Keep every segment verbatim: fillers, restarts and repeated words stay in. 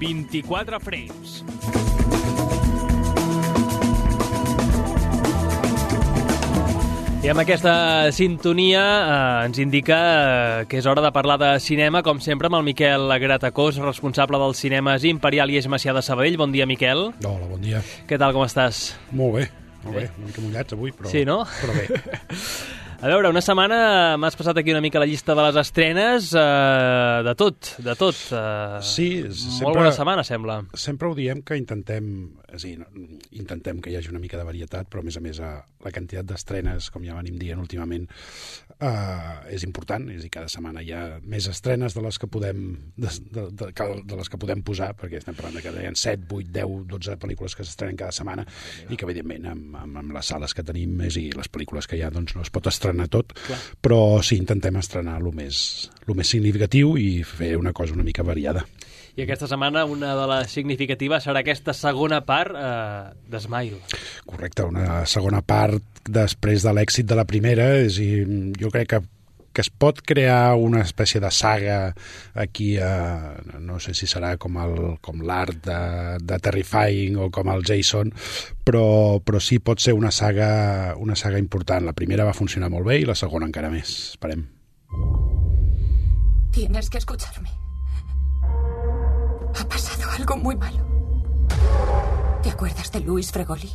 vint-i-quatre frames. I amb aquesta sintonia eh, ens indica eh, que és hora de parlar de cinema, com sempre, amb el Miquel Gratacós, responsable dels cinemes Imperial i Eix Macià de Sabadell. Bon dia, Miquel. Hola, bon dia. Què tal, com estàs? Molt bé, molt bé. Una mica mullats avui, però, sí, no? però bé. A veure, una setmana m'has passat aquí una mica la llista de les estrenes, eh, de tot, de tot. Eh, sí, sempre, molt bona setmana, sembla. Sempre ho diem que intentem, és a dir, intentem que hi hagi una mica de varietat, però a més a més la quantitat d'estrenes, com ja venim dient últimament, eh, és important. És a dir, cada setmana hi ha més estrenes de les que podem de, de, de, de les que podem posar, perquè estem parlant de que hi ha set, vuit, deu, dotze pel·lícules que s'estrenen cada setmana i que, evidentment, amb, amb, amb les sales que tenim és, i les pel·lícules que hi ha, doncs no es pot estrenar a tot, clar. Però sí, intentem estrenar el més, el més significatiu i fer una cosa una mica variada. I aquesta setmana una de les significatives serà aquesta segona part eh, d'Smile. Correcte, una segona part després de l'èxit de la primera. És a dir, jo crec que que es pot crear una espècie de saga aquí, eh, no sé si serà com el, com l'art de, de Terrifying o com el Jason, però, però sí pot ser una saga, una saga important. La primera va funcionar molt bé i la segona encara més. Esperem. Tienes que escucharme. Ha pasado algo muy malo. ¿Te acuerdas de Luis Fregoli?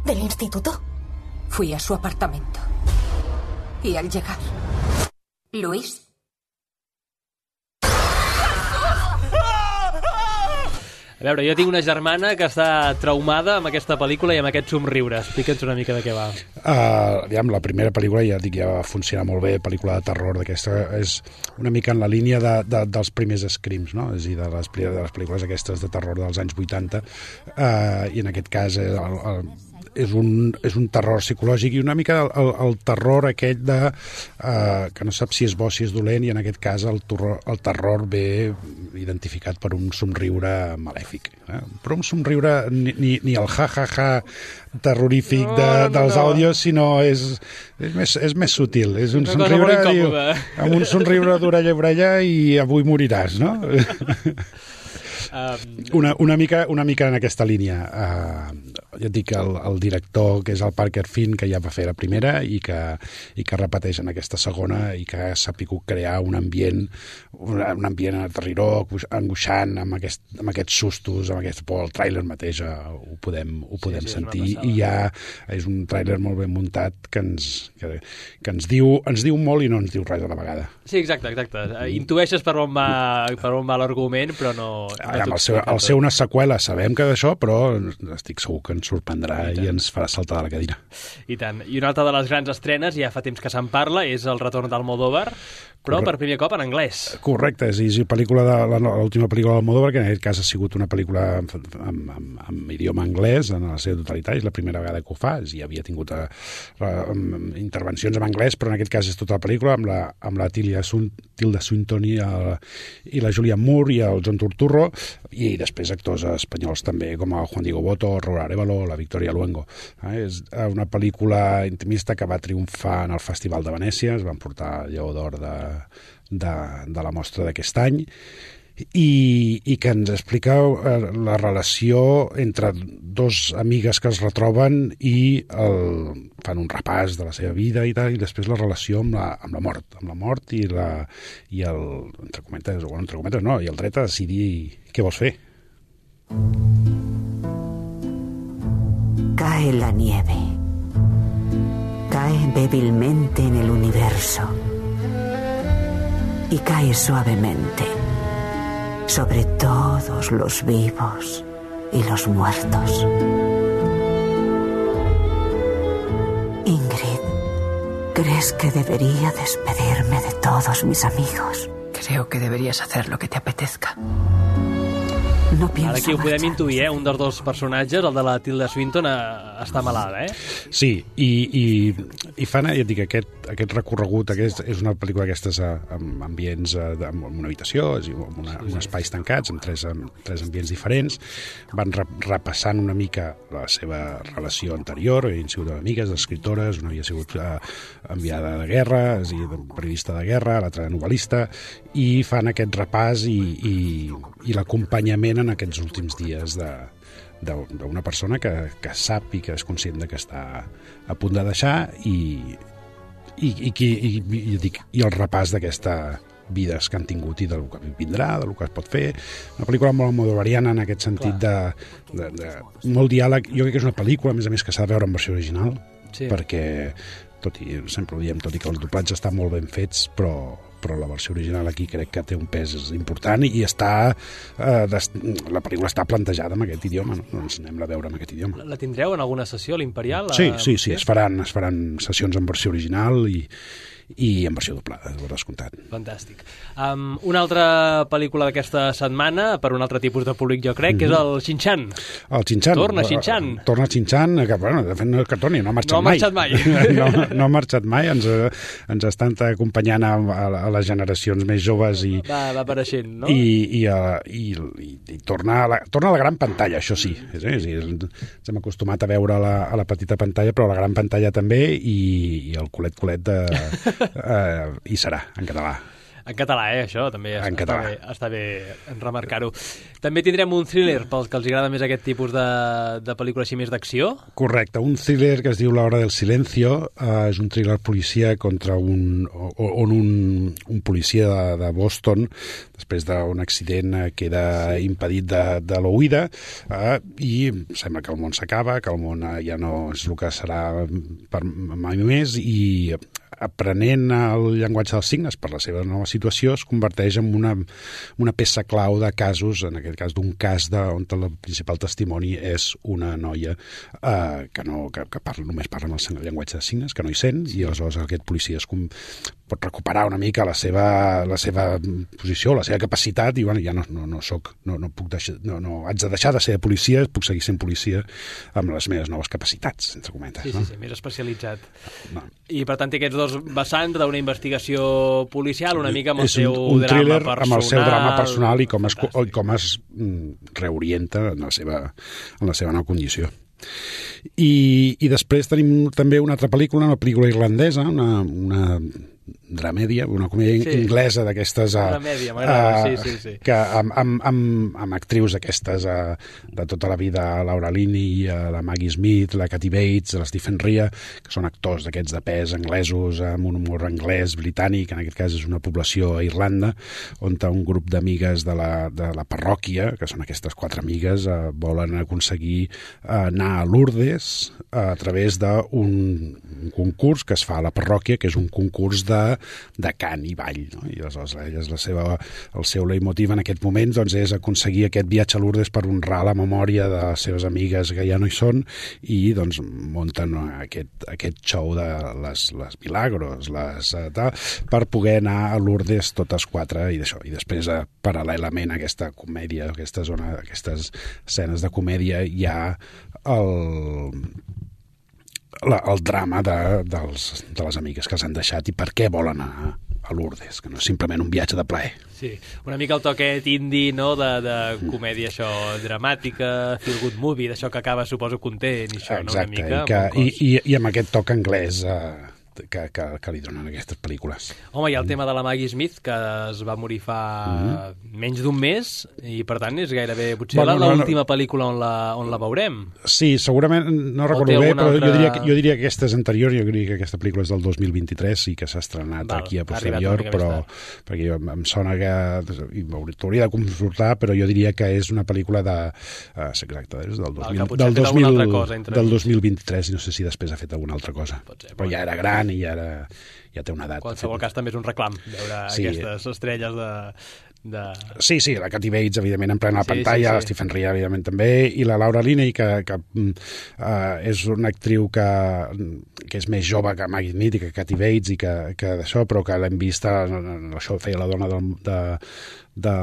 ¿Del instituto? Fui a su apartamento. Y al llegar... Luis. A veure, jo tinc una germana que està traumada amb aquesta pel·lícula i amb aquest somriure. Explica'ns una mica de què va. Uh, aviam, la primera pel·lícula ja dic ja va funcionar molt bé, pel·lícula de terror d'aquesta, és una mica en la línia de, de, dels primers Screams, no? És a dir, de les, de les pel·lícules aquestes de terror dels anys vuitanta, uh, i en aquest cas el, el, és un, és un terror psicològic i una mica el, el, el terror aquell de uh, que no sap si és bo, si és dolent, i en aquest cas el terror, el terror ve identificat per un somriure malèfic, eh? Però un somriure ni, ni, ni el ha-ha-ha terrorífic de, no, no, dels àudios, sinó és, és, més, és més sutil, és un una somriure diu, amb un somriure d'orella a orella i avui moriràs, no? Una, una, mica, una mica en aquesta línia. Uh, ja et dic, el, el director, que és el Parker Finn, que ja va fer la primera i que, i que repeteix en aquesta segona i que ha sabut crear un ambient un, un ambient aterridor, angoixant, amb, aquest, amb aquests sustos, amb aquest por. El tràiler mateix uh, ho podem, ho podem sí, sí, sentir, i ja és un tràiler molt ben muntat que ens, que, que ens, diu, ens diu molt i no ens diu res a la vegada. Sí, exacte, exacte. Intueixes per on va, per on va l'argument, però no... no el seu, el seu una seqüela, sabem que d'això, però estic segur que ens sorprendrà i, i ens farà saltar de la cadira. I tant. I una altra de les grans estrenes, ja fa temps que se'n parla, és el retorn d'Almodóvar, però Correcte. Per primer cop en anglès. Correcte, és, és pel·lícula de, l'última pel·lícula d'Almodóvar, que en aquest cas ha sigut una pel·lícula amb, amb, amb, amb idioma anglès en la seva totalitat, és la primera vegada que ho fa, i havia tingut a, a, a, intervencions en anglès, però en aquest cas és tota la pel·lícula amb la, amb la Tilda, Tilda Swinton i, el, i la Julianne Moore i el John Turturro, i després actors espanyols també, com el Juan Diego Botto, Raúl Arévalo, la Victoria Luengo. Eh, és una pel·lícula intimista que va triomfar en el Festival de Venècia, es van portar el Lleó d'Or de, de, de la mostra d'aquest any, i, i que ens explica eh, la relació entre dos amigues que es retroben i el, fan un repàs de la seva vida i tal, i després la relació amb la, amb la mort, amb la mort i, la, i el, entre cometes, o entre cometes no, i el dret a decidir què vols fer. Cae la nieve. Cae débilmente en el universo. Y cae suavemente sobre todos los vivos y los muertos. Ingrid, ¿crees que debería despedirme de todos mis amigos? Creo que deberías hacer lo que te apetezca. No pienso Ara aquí ho podem marxar. intuir, eh? Un dels dos personatges, el de la Tilda Swinton, a està malada, eh? Sí, i, i, i fan, ja et dic, aquest, aquest recorregut, aquest, és una pel·lícula d'aquestes amb ambients, amb una habitació, amb una, uns espais tancats, amb tres, amb tres ambients diferents, van repassant una mica la seva relació anterior, havien sigut amigues, escritores, una havia sigut uh, enviada de guerra, és a dir, periodista de guerra, l'altra novel·lista, i fan aquest repàs i, i, i l'acompanyament en aquests últims dies de d'una persona que, que sap i que és conscient de que està a punt de deixar i, i, i, i, i, i, dic, i el repàs d'aquesta vides que han tingut i del que vindrà, del que es pot fer. Una pel·lícula molt modovariana en aquest sentit de, de, de molt diàleg. Jo crec que és una pel·lícula, a més a més, que s'ha de veure en versió original, sí. perquè, tot i, sempre ho diem, tot i que els doblatges estan molt ben fets, però però la versió original aquí crec que té un pes important i està eh, des, la pel·lícula està plantejada en aquest idioma, no? Doncs anem a veure en aquest idioma. La tindreu en alguna sessió, l'Imperial? Sí, sí, sí, es faran, es faran sessions en versió original i i en versió doblada, ho descomptat. Fantàstic. Um, una altra pel·lícula d'aquesta setmana, per un altre tipus de públic, jo crec, mm-hmm. que és el Shin-Chan. El Shin-Chan. Torna Shin-Chan. Torna Shin-Chan, que, bueno, de fet, no, que torni, no ha marxat mai. No ha marxat mai. mai. no, no ha marxat mai, ens, ens estan acompanyant a, a les generacions més joves i... Va, va apareixent, no? I, i, i, i, i torna, a la, torna a la gran pantalla, això sí. És, és, és, ens hem acostumat a veure a la, a la petita pantalla, però a la gran pantalla també, i, i el culet-culet de... Uh, hi serà, en català. En català, eh, això, també en està, català. bé, està bé remarcar-ho. També tindrem un thriller pels que els agrada més aquest tipus de, de pel·lícula així més d'acció? Correcte, un thriller que es diu La hora del silencio, uh, és un thriller policia contra un, on un, un policia de, de Boston, després d'un accident, queda impedit de, de l'oïda, uh, i sembla que el món s'acaba, que el món ja no és el que serà per mai més, i aprenent el llenguatge dels signes per la seva nova situació es converteix en una, una peça clau de casos, en aquest cas d'un cas de, on el principal testimoni és una noia eh, que, no, que, que parla, només parla amb el llenguatge de signes, que no hi sent, i aleshores aquest policia es com, pot recuperar una mica la seva, la seva posició, la seva capacitat, i bueno, ja no, no, no soc, no, no puc deixar, no, no, haig de deixar de ser policia, puc seguir sent policia amb les meves noves capacitats, entre cometes. Sí, no? sí, sí, més especialitzat. No. I per tant té aquests dos vessants d'una investigació policial, una mica amb el és seu un, un drama personal. amb el seu drama personal i com es, com es reorienta en la seva, en la seva nova condició. I, i després tenim també una altra pel·lícula, una pel·lícula irlandesa, una, una dramèdia, una comèdia sí. inglesa d'aquestes dramèdia, m'agrada, uh, sí, sí, sí. que amb, amb, amb, amb actrius d'aquestes uh, de tota la vida, Laura Linney, uh, la Maggie Smith, la Kathy Bates, la Stephen Rea, que són actors d'aquests de pes anglesos, amb un humor anglès, britànic, en aquest cas és una població a Irlanda, on un grup d'amigues de, la, de la parròquia, que són aquestes quatre amigues, uh, volen aconseguir uh, anar a Lourdes uh, a través d'un un concurs que es fa a la parròquia, que és un concurs de De, de cant i ball, no? I aleshores elles, la seva, el seu leitmotiv en aquest moment doncs, és aconseguir aquest viatge a Lourdes per honrar la memòria de les seves amigues que ja no hi són, i doncs munten aquest, aquest show de les, les milagros, les, tal, per poder anar a Lourdes totes quatre, i d'això. I després, eh, paral·lelament a aquesta comèdia, aquesta zona, aquestes escenes de comèdia, hi ha el... La, el drama de, dels, de les amigues que els han deixat i per què volen anar a Lourdes, que no és simplement un viatge de plaer. Sí, una mica el toquet indi, no?, de, de comèdia, això, dramàtica, feel good movie, d'això que acaba, suposo, content, i això, exacte, no?, una mica. I, que, i, i, i amb aquest toc anglès eh, que, que, que li donen aquestes pel·lícules. Home, hi ha el tema de la Maggie Smith, que es va morir fa mm-hmm. menys d'un mes, i per tant és gairebé, potser bueno, l'última no, pel·lícula on la, on la veurem. Sí, segurament, no recordo bé, però altra... jo, diria que, jo diria que aquesta és anterior, jo diria que aquesta pel·lícula és del dos mil vint-i-tres i que s'ha estrenat Val, aquí a posterior, però perquè jo, em sona que t'hauria de consultar, però jo diria que és una pel·lícula de... Uh, exacte, és del, dos mil, del, dos mil, del dos mil vint-i-tres, i no sé si després ha fet alguna altra cosa. Ser, però ja era gran i ja, era, ja té una edat. En qualsevol cas també és un reclam veure sí. aquestes estrelles de, de... Sí, sí, la Kathy Bates, evidentment, en plena sí, pantalla, sí, sí. la Stephen Rea, evidentment, també, i la Laura Linney, que, que uh, és una actriu que, que és més jove que Maggie Smith i que Kathy Bates, i que, que d'això, però que l'hem vist, això feia la dona de, de de,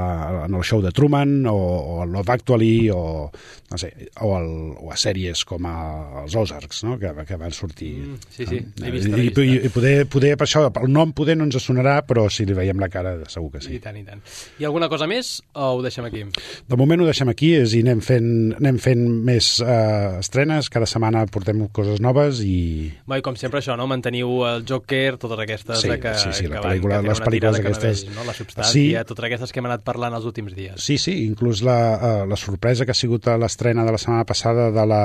en el show de Truman o, o el Love Actually o, no sé, o, el, o a sèries com a, els Ozarks, no? que, que van sortir. Mm, sí, sí, no? l'he vist, I, l'he vist. i, i poder, poder, per això, el nom poder no ens sonarà, però si li veiem la cara segur que sí. I tant, i tant. Hi ha alguna cosa més o ho deixem aquí? De moment ho deixem aquí és, i anem fent, anem fent més uh, estrenes, cada setmana portem coses noves i... Bé, i com sempre això, no? Manteniu el Joker, totes aquestes sí, que, sí, sí, que, la pel·lícula, van, que les pel·lícules aquestes... No? La substància, sí. totes aquestes que hem anat parlant els últims dies. Sí, sí, inclús la, uh, la sorpresa que ha sigut a l'estrena de la setmana passada de la,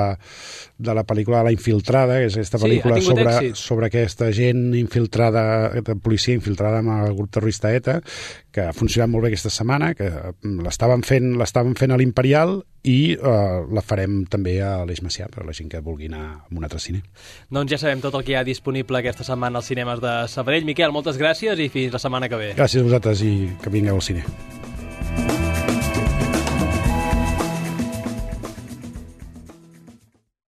de la pel·lícula La Infiltrada, que és aquesta pel·lícula sí, sobre, èxit. sobre aquesta gent infiltrada, de policia infiltrada amb el grup terrorista ETA, que ha funcionat molt bé aquesta setmana, que l'estaven fent, l'estaven fent a l'Imperial i uh, la farem també a l'Eix Macià per a la gent que vulgui anar a un altre cine. Doncs ja sabem tot el que hi ha disponible aquesta setmana als cinemes de Sabadell. Miquel, moltes gràcies i fins la setmana que ve. Gràcies a vosaltres i que vingueu al cine.